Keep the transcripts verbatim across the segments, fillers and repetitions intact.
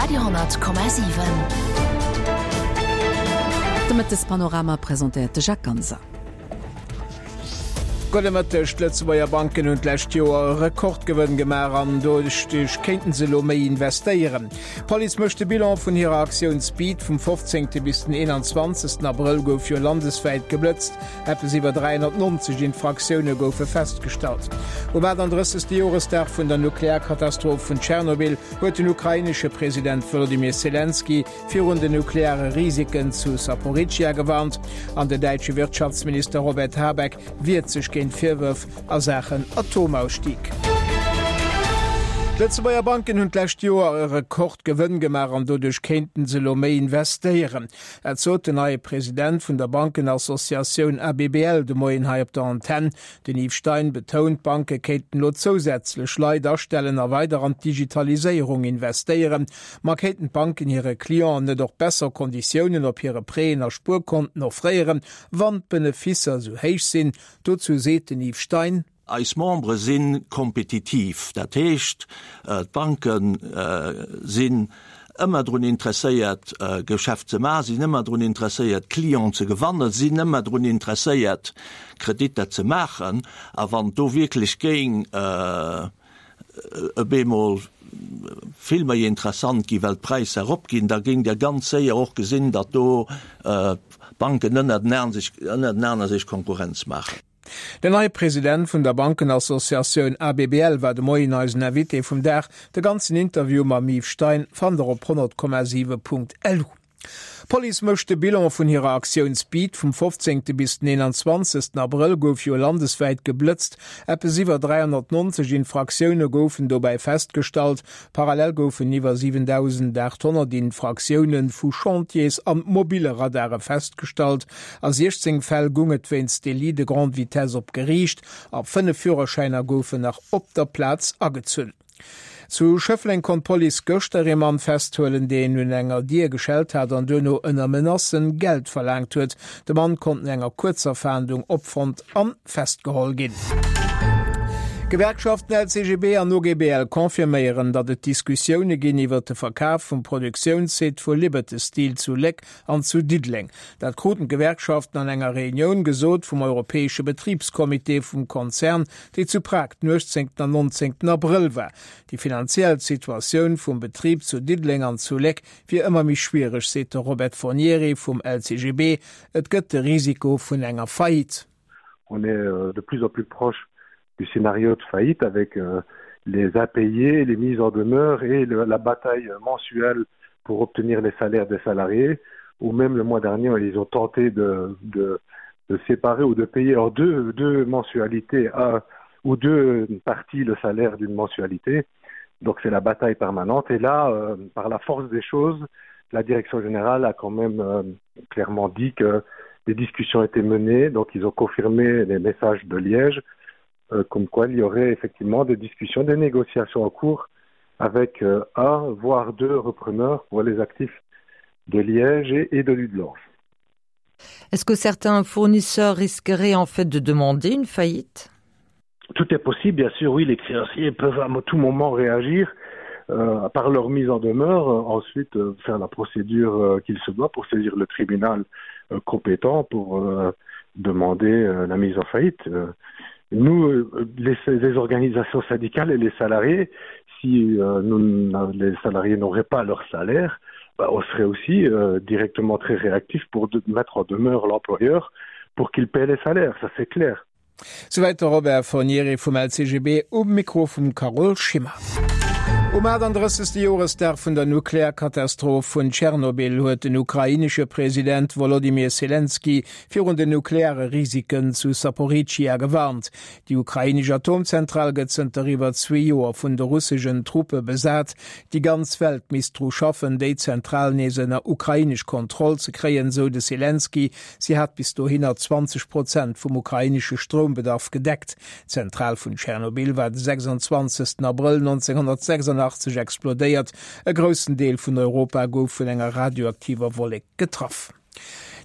Radio honnert Komma siwen. De Mëttespanorama presentéiert de Jacques Ganser. Gudde Mëtteg, D'Lëtzebuerger Banken hunn d'lescht Joer e Rekordgewënn gemaach an doduerch kéinten se elo méi investéieren. D'Police mécht de Bilan vun hirer Aktioun Speed. Vum fofzéngte bis den eenanzwanzegsten Abrëll gouf jo landeswäit geblëtzt. Eppes iwwer dräihonnertnonzeg Infraktioune goufe festgestallt. Um aatandrëssegste Joresdag vun der Nuklearkatastroph vun Tschernobyl huet den ukrainesche President Wolodymyr Selenskyj virun den nukleare Risiken zu Saporizhzhia gewarnt an den däitsche Wirtschaftsminister Robert Habeck wiert sech géint Virwërf a Saachen Atomausstieg. D'Lëtzebuerger Banken hunn d'lescht Joer e Rekordgewënn gemaach an doduerch kéinten se elo méi investéieren. Dat sot den neie President vun der Bankenassociatioun A B B L de Moien hei op der Antenn. Den Yves Stein betount, d'Banke kéinten elo zousätzlech Leit astellen a weider an d'Digitaliséierung investéieren. Ma kéinten d'Banken hire Clienten net och besser Konditiounen op hire Prêten a Spuerkonten offréieren, wann d'Beneficer esou héich sinn? Dozou seet den Yves Stein. Eis Membere si kompetitiv, dat heescht d'Banke sinn ëmmer drun interesséiert Geschäft ze maachen, sinn ëmmer drun interesséiert Clienten ze gewannen, sinn ëmmer drun interesséiert Kreditter ze maachen. A wann do wierklech géing op eemol vill méi interessant gi well d'Präisser eropginn, da géing Der ganz séier och gesinn, datt do d'Banken ënnertenaner sech Konkurrenz maachen. Den neie President vun der Bankenassociatioun A B B L war de Moien eisen Invité vum Dag. De ganzen Interview mam Yves Stein fannt der op honnert Komma siwe Punkt lu. D'Police mécht de Bilan vun hirer Aktioun Speed. Vum fofzéngte bis den eenanzwanzegsten Abrëll gouf jo landeswäit geblëtzt. Eppes iwwer dräihonnertnonzeg Infraktioune goufen dobäi festgestallt. Parallel goufen iwwer siwentausendaathonnert Infraktioune vu Chantiers an mobille Radare festgestallt. A siechzéng Fäll goung et wéinst Délit de grande vitesse op Geriicht a fënnef Führerschäiner goufen nach op der Plaz agezunn. Zu Schëffleng konnt d'Police gëschter ee Mann festhuelen, deen un enger Dier geschellt hat an duerno ënner Menacen Geld verlaangt huet. De Mann konnt no enger kuerzer Fahndung opfonnt an festgeholl ginn. D'Gewerkschaften L C G B an O G B L confirméieren, datt et Diskussioune ginn iwwer de Verkaf vum Produktiounssite vu Liberty Steel zu Léck an zu Diddeleng. Dat kruten d'Gewerkschaften an enger Reunioun gesot vum europäesche Betribscomité vum Konzern, déi zu Prag den uechtzéngten an nonzéngten Abrëll war. Déi finanziell Situatioun vum Betrib zu Diddeleng an zu Léck wier ëmmer méi schwiereg, seet de Robert Fornieri vum L C G B. Et gëtt de Risiko vun enger Faillite. On est de plus en plus proche du scénario de faillite avec euh, les impayés, les mises en demeure et le, la bataille mensuelle pour obtenir les salaires des salariés, ou même le mois dernier, ils ont tenté de, de, de séparer ou de payer en deux, deux mensualités à, ou deux parties le salaire d'une mensualité. Donc c'est la bataille permanente. Et là, euh, par la force des choses, la direction générale a quand même euh, clairement dit que des discussions étaient menées. Donc ils ont confirmé les messages de Liège, euh, comme quoi il y aurait effectivement des discussions, des négociations en cours avec euh, un, voire deux repreneurs pour les actifs de Liège et, et de Dudelange. Est-ce que certains fournisseurs risqueraient en fait de demander une faillite? Tout est possible, bien sûr, oui, les créanciers peuvent à tout moment réagir euh, par leur mise en demeure, euh, ensuite euh, faire la procédure euh, qu'il se doit pour saisir le tribunal euh, compétent pour euh, demander euh, la mise en faillite. Euh, nous, euh, les, les organisations syndicales et les salariés, si euh, nous, les salariés n'auraient pas leur salaire, bah, on serait aussi euh, directement très réactif pour de, mettre en demeure l'employeur pour qu'il paie les salaires, ça c'est clair. Souwäit de Robert Fornieri vum L C G B um Mikro vum Carole Schimmer. Um aatandrëssegste Joresdag vun der Nuklearkatastroph vun Tschernobyl huet den ukrainesche President Wolodymyr Selenskyj virun den nukleare Risiken zu Saporizhzhia gewarnt. Déi ukrainesch Atomzentral gëtt zënter iwwer zwee Joer vun de russeschen Truppe besat. Déi ganz Welt misst dru schaffen, déi Zentral nees ënner ukrainesch Kontroll ze kréien, sou de Selenskyj. Si hat bis dohinner zwanzeg Prozent vum ukrainesche Stroumbedarf gedeckt. D'Zentral vun Tschernobyl war de sechsanzwanzegsten Abrëll nonzénghonnertsechsandachtzeg explodéiert. E groussen Deel vun Europa gouf vun enger radioaktiver Wollek getraff.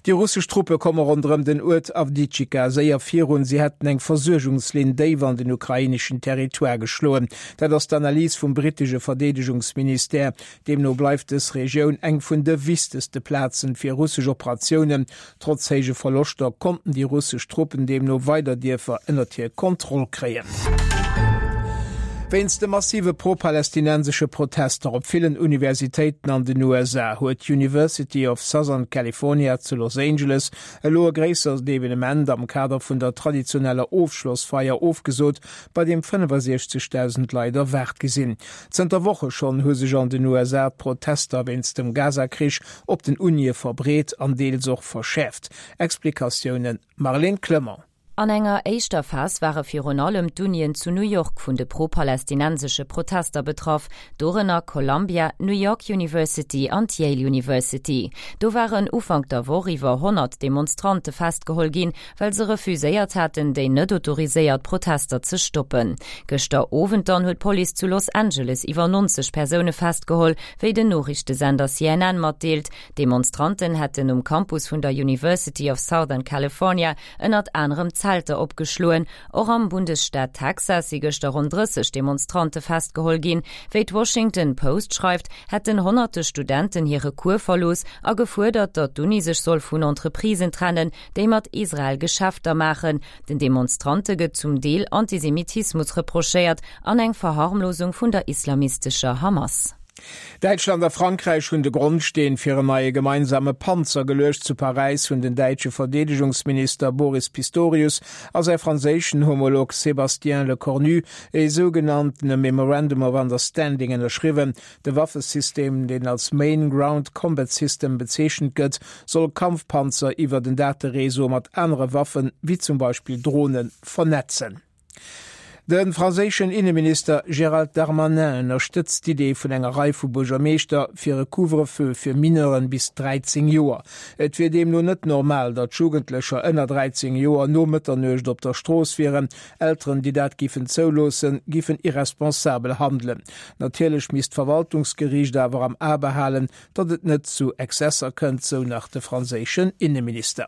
Déi russesch Truppe komme ronderëm den Uert Awdijiwka séier virun. Si hätten eng Versuergungslinn déif an den ukraineschen Territoire geschloen. Dat ass d'Analys vum brittesche Verdeedegungsministère. Deemno bleift dës Regioun eng vun de wichtegste Plazen fir russesch Operatiounen. Trotz héije Verloschter konnten déi russesch Truppen deemno weider Dierfer ënnert hir Kontroll kréien. Wéinst de massive pro-palästinensesche Protester op villen Universitéiten an den U S A huet d'University of Southern California zu Los Angeles elo e gréissert Evenement am Kader vun der traditioneller Ofschlossfeier ofgesot, bei deem fënnefasiechzegdausend Leit erwaart gi sinn. Zënter Woche schonn hu sech an den U S A d'Protester wéinst dem Gaza-Krich op den Unie verbreet an deels och verschäerft. Explikatiounen Marlène Clement. An enger éischter Phas ware virun allem d'Unien zu New York vun de pro-palästinensesche Protester betraff, dorënner Columbia, New York University an d'Yale University. Do waren Ufank der Woch iwwer honnert Demonstrante festgeholl ginn, well se refuséiert haten, déi net autoriséiert Protester ze stoppen. Gëschter Owend dann huet d'Police zu Los Angeles iwwer neunzeg Persoune festgeholl, wéi den Noriichtesender C N N matdeelt. Demonstranten hätten um Campus vun der University of Southern California ënnert anerem Zelter opgeschloen. Och am Bundesstaat Texas si gëschter rund drësseg Demonstrante festgeholl ginn. Wéi d'Washington Post schreift, hätten honnerte Studenten hire Cours verlooss a gefuerdert, datt d'Uni sech soll vun Entreprisen trennen, déi mat Israel Geschäfter maachen. Den Demonstrante gëtt zum Deel Antisemitismus reprochéiert an eng Verharmlosung vun der islamistescher Hamas. Däitschland a Frankräich hunn de Grondsteen fir en neie gemeinsame Panzer geluecht. Zu Paräis hunn den däitsche Verdeedegungsminister Boris Pistorius a säi franséischen Homolog Sébastien Lecornu e sougenannten Memorandum of Understanding ënnerschriwwen. De Waffesystem, deen als Main Ground Combat System bezeechent gëtt, soll Kampfpanzer iwwer den Dateréseau mat anere Waffen, wéi zum Beispill Drohnen, vernetzen. De franséischen Innenminister Gérald Darmanin ënnerstëtzt d'Idee vun enger Rei vu Buergermeeschter fir e Couvre-feu fir Mineuren bis dreizéng Joer. Et wier deemno net normal, datt Jugendlecher ënner dreizéng Joer no Mëtternuecht op der Strooss wieren. Elteren, déi dat giffen zouloossen, giffen irresponsabel handelen. Natierlech misst d'Verwaltungsgeriicht awer am A behalen, datt et net zu Exzesser kënnt, sou nach de franséischen Innenminister.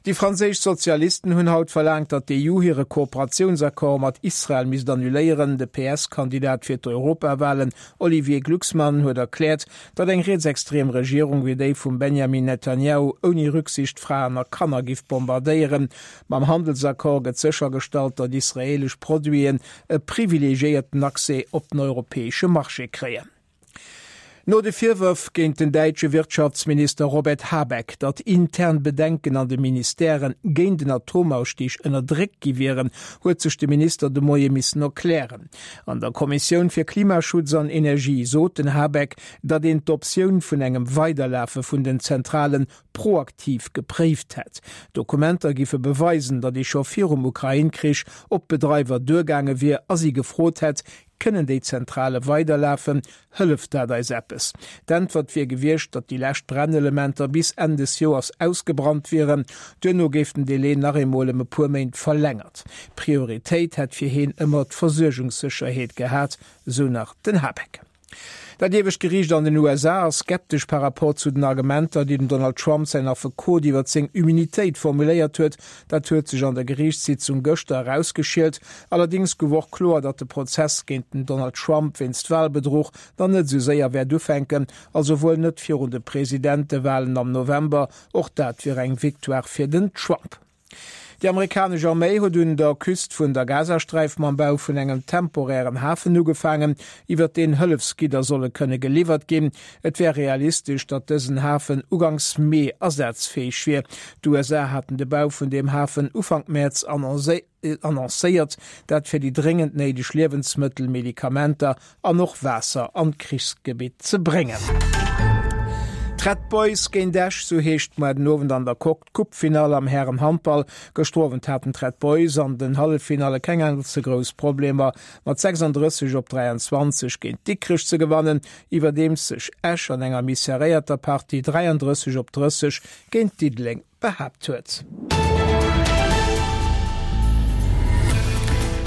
Déi franséisch Sozialisten hunn haut verlaangt, datt d'E U hire Kooperatiounsaccord mat Israel misst annuléieren. De P S-Kandidat fir d'Europawahlen Olivier Glucksmann huet erkläert, datt eng rietsextrem Regierung wéi déi vum Benjamin Netanyahu ouni Rücksicht Fraen a Kanner giff bombardéieren. Mam Handelsaccord gëtt séchergestallt, datt israelesch Produiten e privilegiéierten Accès op den europäesche Marché kréien. No de Virwërf géint den däitsche Wirtschaftsminister Robert Habeck, datt intern Bedenken an de Ministèren géint den Atomausstieg ënnerdréckt gi wieren, huet sech de Minister de Moie missen erklären. An der Kommissioun fir Klimaschutz an Energie sot den Habeck, datt een d'Optioun vun engem Weiderlafe vun den Zentralen proaktiv gepréift hätt. Dokumenter giffe beweisen, datt ee scho virum Ukraine-Krich op Bedreiwer duergaange wier a si gefrot hätt, kënnen déi Zentrale weiderlafen, hëlleft dat eis eppes. D'Äntwert wier gewiescht, datt déi lescht Brennelementer bis Enn des Joers ausgebrannt wieren. Duerno géif den Delai nach eemol ëm e puer Méint verlängert. Prioritéit hätt fir hien ëmmer d'Versuergungssécherheet gehat, sou nach den Habeck. Dat iewescht Geriicht an den U S A ass skeptesch par rapport zu den Argumenter, déi den Donald Trump säin Affekot iwwer seng Immunitéit formuléiert huet. Dat huet sech an der Geriichtssitzung gëschter herausgeschielt. Allerdings gouf och kloer, datt de Prozess géint den Donald Trump wéinst Wahlbedruch dann net sou séier wäert ufänken, also wuel net virun de Presidentewahlen am November. Och dat wier eng Victoire fir den Trump. Déi amerikanesch Arméi huet un der Küst vun der Gazasträif mam Bau vun engem temporären Hafen ugefaangen, iwwer deen Hëllefsgidder solle kënne geliwwert ginn. Et wär realistesch, datt dësen Hafen ugangs Mee ersatzfäeg wier. D'U S A haten de Bau vun dem Hafen Ufank März annoncé-, annoncéiert, dat fir déi dringend néideg Liewensmëttel, Medikamenter an och Waasser an d'Krichsgebitt ze bréngen. Red Boys géint Esch, sou heescht muer den Owend an der Coque d'Coupe-Finale am Herrenhandball. Gëschter Owend haten d'Red Boys an den Halleffinale keng allze grouss Problemer mat sechsunddrësseg op dräianzwanzeg géint Dikrech ze gewannen, iwwerdeems sech Esch an enger méi serréierter Partie dräianddrësseg op drësseg géint Diddeleng behaapt huet.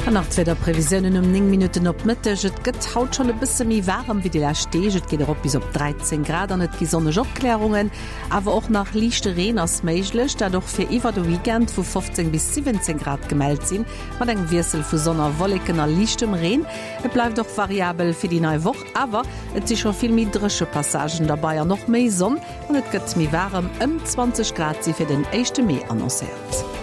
An nach d'Wiederprevisiounen um néng Minutten op Mëtteg, Et gëtt haut schonn e bësse méi waarem wéi déi lescht Deeg, et geet erop bis op dräizéng Grad an et gi sonneg Opklärungen. Awer och nach liichte Reen ass méiglech, dat och fir iwwer de Weekend, wou fofzéng bis siwwenzéng Grad gemellt sinn, mat engem Wiessel vu Sonn a Wolleken a liichtem Reen. Et bleift och variabel fir déi nei Woch, awer et si scho vill méi dréche Passagen derbei an och méi Sonn an et gëtt méi waarem, ëm zwanzeg Grad si fir den éischte Mee annoncéiert.